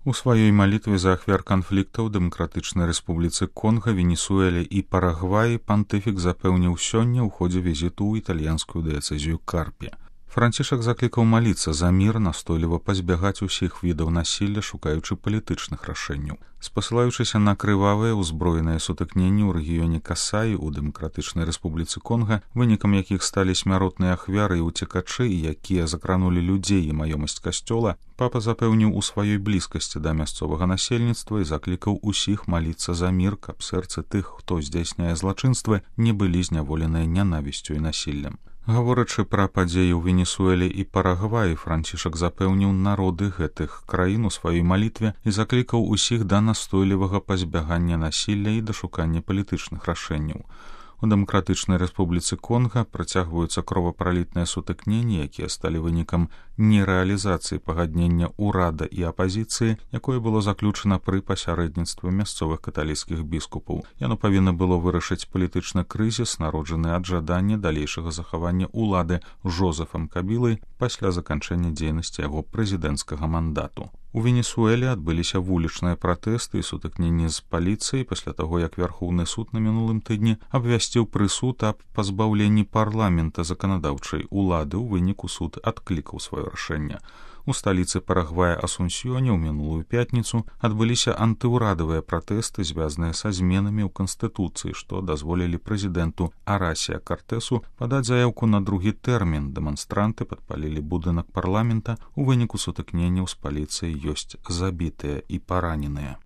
У сваёй малітве за ахвяр канфліктаў Дэмакратычнай Рэспубліцы Конга, Венесуэле і Парагваі пантыфік запэўніў сёння ў ходзе візіту ў італьянскую дыяцэзію Карпі. Францішак заклікаў маліцца за мір, настойліва пазбягаць усіх відаў насілля, шукаючы палітычных рашэнняў. Спасылаючыся на крывавыя ўзброеныя сутыкненні ў рэгіёне Касаі ў Дэмакратычнай Рэспубліцы Конга, вынікам якіх сталі смяротныя ахвяры і ўцекачы, якія закранулі людзей і маёмасць касцёла, папа запэўніў у сваёй блізкасці да мясцовага насельніцтва і заклікаў усіх маліцца за мір, каб сэрцы тых, хто здзяйсняе злачынствы, не былі зняволеныя нянавісцю і насіллем. Гаворачы пра падзеі ў Венесуэле і Парагваі, Францішак запэўніў народы гэтых краін у сваёй малітве і заклікаў усіх да настойлівага пазбягання насілля і да шукання палітычных рашэнняў. У Дэмакратычнай Рэспубліцы Конга працягваюцца кровапралітныя сутыкненні, якія сталі вынікам нерэалізацыі пагаднення ўрада і апазіцыі, якое было заключана пры пасярэдніцтве мясцовых каталіцкіх біскупаў. Яно павінна было вырашыць палітычны крызіс, народжаны ад жадання далейшага захавання ўлады Жозефам Кабілай пасля заканчэння дзейнасці яго прэзідэнцкага мандату. У Венесуэле адбыліся вулічныя пратэсты і сутыкненні з паліцыяй пасля таго, як Вярхоўны суд на мінулым тыдні абвясціў прысуд аб пазбаўленні парламента заканадаўчай улады. У выніку суд адклікаў сваё рашэнне. У сталіцы Парагвая Асунсьёне ў мінулую пятніцу адбыліся антыўрадавыя пратэсты, звязаныя са зменамі ў канстытуцыі, што дазволілі прэзідэнту Арасія Картэсу падаць заяўку на другі тэрмін. Дэманстранты падпалілі будынак парламента. У выніку сутыкненняў з паліцыяй ёсць забітыя і параненыя.